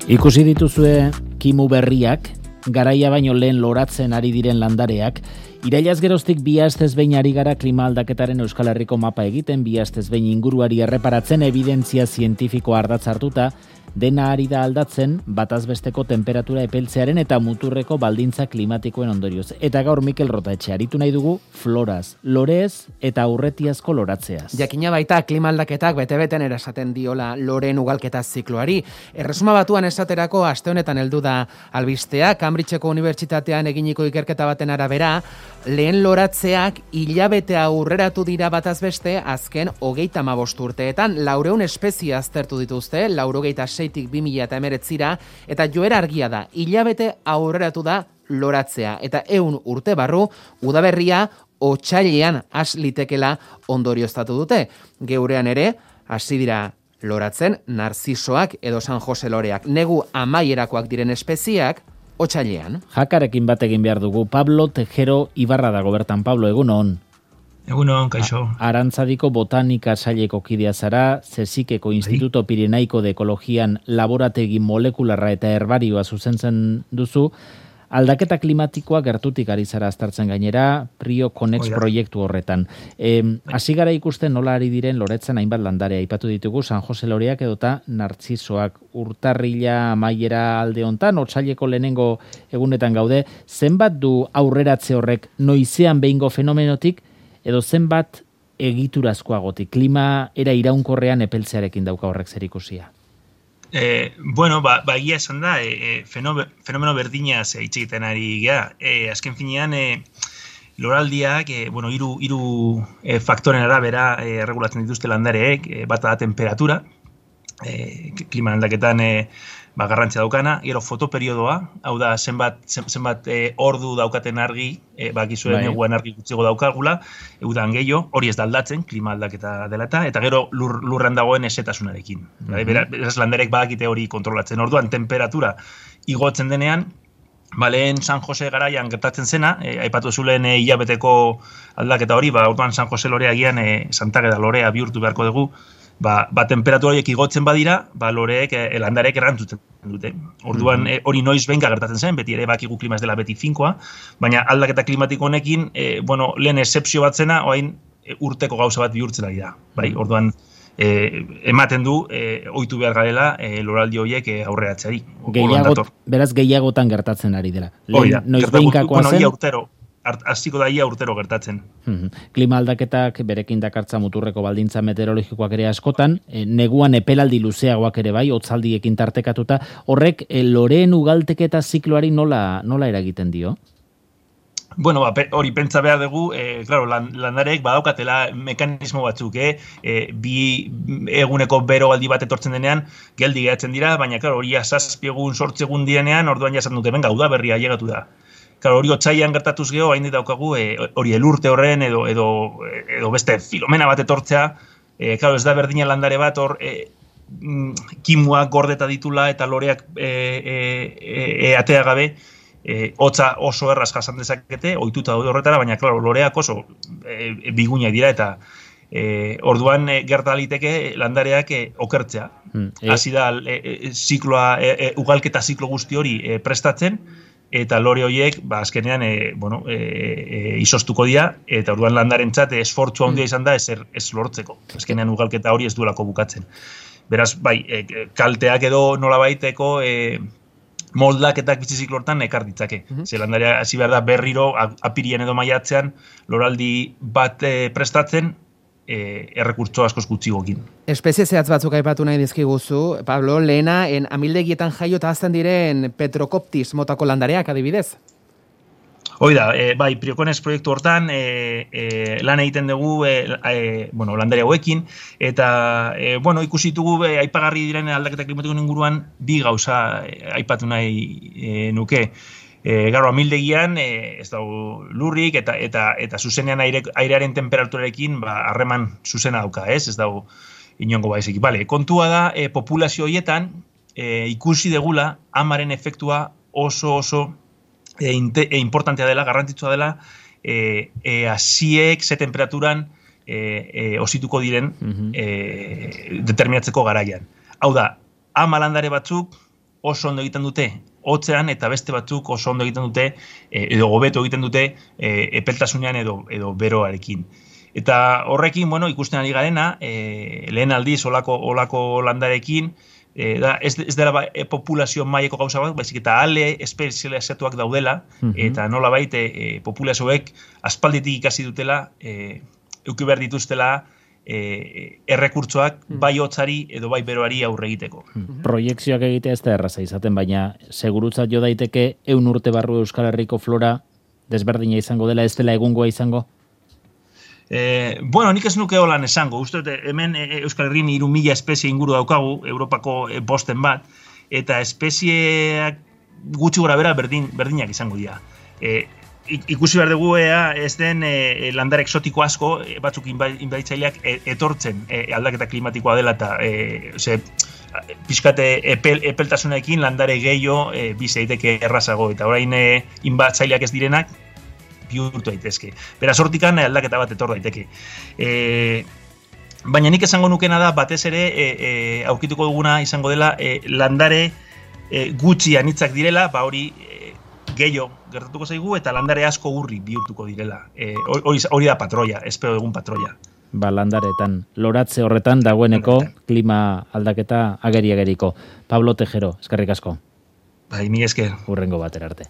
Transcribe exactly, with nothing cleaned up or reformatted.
Ikusi dituzue kimu berriak, garaia baino lehen loratzen ari diren landareak, irailaz geroztik bi astez behin ari gara klima aldaketaren Euskal Herriko mapa egiten, bi astez behin inguruari erreparatzen, evidentzia zientifikoa ardatz hartuta, dena ari da aldatzen batazbesteko temperatura epeltzearen eta muturreko baldintza klimatikoen ondorioz. Eta gaur Mikel Rotaetxe aritu nahi dugu floraz, lorez eta aurretiazko loratzeaz. Jakina baita klima aldaketak bete-beten erasaten diola loreen ugalketa zikloari. Erresuma Batuan esaterako aste honetan heldu da albistea, Cambridgeko Unibertsitatean eginiko ikerketa baten arabera, lehen loratzeak hilabete aurreratu dira batazbeste azken hogeita hamabost urteetan, laurehun espezie aztertu dituzte, laurogeita seitik bi mila hemeretzira, eta joera argia da, hilabete aurreratu da loratzea, eta ehun urte barru, udaberria otsailean has litekela ondorioztatu dute. Geurean ere, hasi dira loratzen narzisoak edo San Jose loreak, negu amaierakoak diren espeziak, otsailean. Jakarekin bat egin behar dugu, Pablo Tejero Ibarra dago bertan. Pablo, egunon. Egunon, kaixo. Arantzadiko botanika saileko kidea zara, Zesikeko Instituto Pirenaiko de Ekologian laborategi molekularra eta herbarioa zuzentzen duzu, aldaketa klimatikoa gertutik ari zara aztertzen gainera, Prio Connect proiektu horretan. Hasi gara ikusten nola ari diren loretzen hainbat landare, aipatu ditugu San Jose loreak edota nartzisoak, urtarrila amaiera alde hontan, otsaileko lehenengo egunetan gaude, zenbat du aurreratze horrek noizean behingo fenomenotik, edo zenbat egiturazkoagotik, klima era iraunkorrean epeltzearekin dauka horrek zerikusia? Eh, bueno, ba, ba egia esan da, e, fenomeno berdinaz hitz egiten ari gara. E, azken finean, e, loraldiak, e, bueno, hiru hiru e, faktoren arabera e, regulatzen dituzte landareek, e, bata da temperatura, e, klima aldaketan e, ba, garrantzia daukana, gero fotoperiodoa, hau da, zenbat, zenbat e, ordu daukaten argi, e, bakizuen eguan argi gutxiago daukagula, udan gehiago, hori ez da aldatzen, klima aldaketa dela eta, eta gero lur, lurran dagoen esetasunarekin. Mm-hmm. Beraz, landarek badakite hori kontrolatzen. Orduan, temperatura igotzen denean, ba, lehen San Jose garaian gertatzen zena, e, aipatu zulen e, hilabeteko aldaketa hori, ba, orduan San Jose lorea gian, e, Santageda lorea bihurtu beharko dugu, Ba, ba temperatura horiek igotzen badira, ba loreek, e, landarek erantzuten dute. Orduan, e, hori noiz behinka gertatzen zen, beti ere bakigu klima ez dela beti finkoa, baina aldaketa klimatiko honekin, e, bueno, lehen excepzio bat zena, oain e, urteko gauza bat bihurtzen ari da. Bai, orduan, e, ematen du, e, ohitu behar garela, e, loraldi horiek e, aurreratzeari. Gehiagot, beraz gehiagotan gertatzen ari dela. Lehen, noiz behinkakoa zen? Bueno, urtero. Hasiko da ia urtero gertatzen. Klima aldaketak berekin dakartza muturreko baldintza meteorologikoak ere askotan, e, neguan epelaldi luzeagoak ere bai, hotzaldiekin tartekatuta, horrek e, loreen ugalteketa zikloari nola, nola eragiten dio? Bueno, ba, hori pentsa behar dugu, eh, claro, lan, landarek badaukatela mekanismo batzuk, eh? E, bi eguneko bero aldi bat etortzen denean, geldi geratzen dira, baina, claro, hori zazpi egun, sortzi egun direnean, orduan jasan dute, benga, uda berria llegatu da. Claro, hori otsailean gertatuz geho, hain daukagu, e, hori elurte horren edo, edo, edo beste filomena bat etortzea, e, claro, ez da berdina landare bat, hor, e, kimuak gordeta ditula eta loreak e, e, e, atea gabe, e, hotza oso erraz jasan dezakete, ohituta daude horretara, baina, claro, loreak oso e, e, bigunak dira eta e, orduan e, gerta liteke landareak e, okertzea. Hasi da, e, e, zikloa, e, e, ugalketa ziklo guzti hori e, prestatzen, eta lore horiek, ba, azkenean, e, bueno, e, e, izostuko dira, eta orduan landarentzat esfortzu handia izan da ez, ez lortzeko. Azkenean ugalketa hori ez duelako bukatzen. Beraz, bai, e, kalteak edo nolabaiteko e, moldaketak biziziklo hortan ekar ditzake. Mm-hmm. Ze landarea hasi behar da berriro, apirian edo maiatzean, loraldi bat e, prestatzen, E, errekurtso askoz gutxigokin. Espezie zehatz batzuk aipatu nahi dizkiguzu, Pablo, lehena, en amildegietan jaio eta azten diren Petrocoptis motako landareak adibidez? Hoi da, e, bai, Prio Connect proiektu hortan e, e, lan egiten dugu e, e, bueno, landare hauekin, eta e, bueno, ikusi ditugu e, aipagarri diren aldaketa klimatikoen inguruan bi gauza e, aipatu nahi e, nuke. E, Garo, amildegian, e, ez dago lurrik eta eta eta zuzenean aire, airearen temperaturarekin ba, harreman zuzena dauka, ez? Ez dago inongo baizik. Bale, kontua da, e, populazio horietan e, ikusi degula amaren efektua oso oso e, inte, e, importantea dela, garrantzitsua dela, e, e, asiek ze temperaturan e, e, osituko diren e, determinatzeko garaian. Hau da, ama landare batzuk oso ondo egiten dute hotzean eta beste batzuk oso ondo egiten dute edo hobeto egiten dute epeltasunean edo edo beroarekin. Eta horrekin, bueno, ikusten ari garena, e, lehen aldiz olako olako landarekin, e, da, ez, ez dela ba, e, populazio maileko gauza bat, baizik eta ale espezializatuak daudela, mm-hmm. eta nolabait e, populazioek aspalditik ikasi dutela, e, euki behar dituztela, E, errekurtsoak bai hotzari edo bai beroari aurre egiteko. Proiekzioak egitea ez da erraza izaten, baina segurutzat jo daiteke ehun urte barru Euskal Herriko flora desberdina izango dela, ez dela egungoa izango? E, bueno, nik ez nuke holan esango. Uste dut, hemen Euskal Herrin hiru mila espezie inguru daukagu, Europako bosten bat, eta espezieak gutxi gora bera berdin, berdinak izango dira. E, ikusi behar dugu ea ez den e, landare exotiko asko, e, batzuk inbaditzaileak e, etortzen e, aldaketa klimatikoa dela eta e, ose, pixkate epel, epeltasunekin landare gehiago e, bizeiteke errazago eta orain e, inbaditzaileak ez direnak bihurtu daitezke. Beraz hortikan aldaketa bat etor daiteke. E, baina nik esango nukena da batez ere e, e, aurkituko duguna izango dela e, landare e, gutxi anitzak direla, ba hori gehiago gertatuko zaigu eta landare asko urri bihurtuko direla. E, hori, hori da patroia, espero egun patroia. Ba, landaretan, loratze horretan dagoeneko klima aldaketa ageri-ageriko. Pablo Tejero, eskerrik asko. Bai, mi esker. Hurrengo batera arte.